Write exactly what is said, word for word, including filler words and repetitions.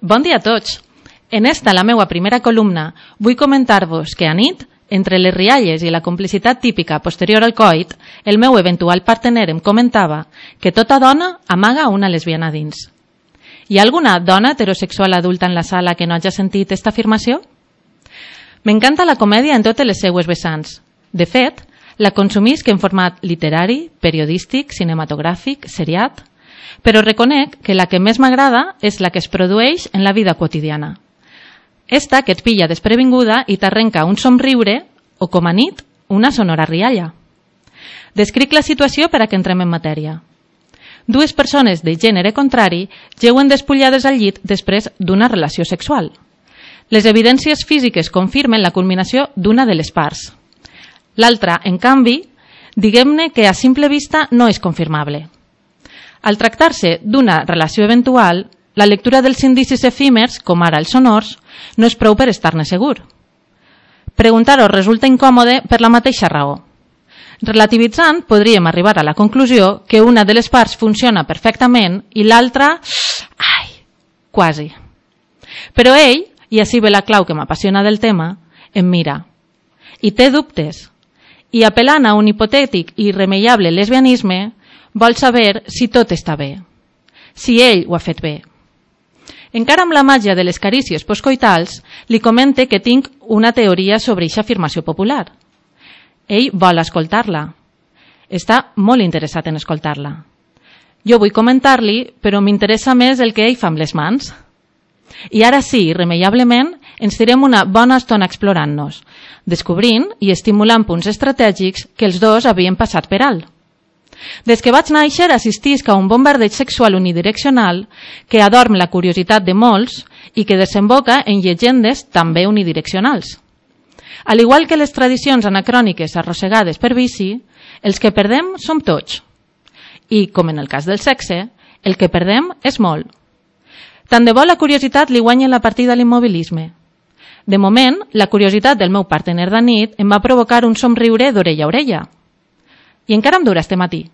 Bon dia a tots! En esta, la meua primera columna, vull comentar-vos que a nit, entre les rialles i la complicitat típica posterior al coit, el meu eventual partener em comentava que tota dona amaga una lesbiana dins. Hi ha alguna dona heterosexual adulta en la sala que no hagi sentit esta afirmació? M'encanta la comèdia en totes les seues vessants. De fet, la consumisc en format literari, periodístic, cinematogràfic, seriat, però reconec que la que més m'agrada és la que es produeix en la vida quotidiana. Esta que et pilla desprevinguda i t'arrenca un somriure o, com a nit, una sonora rialla. Descric la situació per a que entrem en matèria. Dues persones de gènere contrari jeuen despullades al llit després d'una relació sexual. Les evidències físiques confirmen la culminació d'una de les parts. L'altra, en canvi, diguem-ne que a simple vista no és confirmable. Al tractar-se d'una relació eventual, la lectura dels indicis efímers, com ara els sonors, no és prou per estar-ne segur. Preguntar-ho resulta incòmode per la mateixa raó. Relativitzant, podríem arribar a la conclusió que una de les parts funciona perfectament i l'altra... ai, quasi. Però ell, i així ve la clau que m'apassiona del tema, em mira. I té dubtes. I apel·lant a un hipotètic i irremeiable lesbianisme, vol saber si tot està bé. Si ell ho ha fet bé. Encara amb la màgia de les carícies postcoitals, li comente que tinc una teoria sobre aquesta afirmació popular. Ell vol escoltar-la. Està molt interessat en escoltar-la. Jo vull comentar-li, però m'interessa més el que ell fa amb les mans. I ara sí, irremeiablement, ens tirem una bona estona explorant-nos, descobrint i estimulant punts estratègics que els dos havien passat per alt. Des que vaig néixer assistisc a un bombardeig sexual unidireccional que adorm la curiositat de molts i que desemboca en llegendes també unidireccionals. Al igual que les tradicions anacròniques arrossegades per vici, els que perdem som tots. I, com en el cas del sexe, el que perdem és molt. Tant de bo la curiositat li guanya la partida a l'immobilisme. De moment, la curiositat del meu partener de nit em va provocar un somriure d'orella a orella. I encara em dura este matí.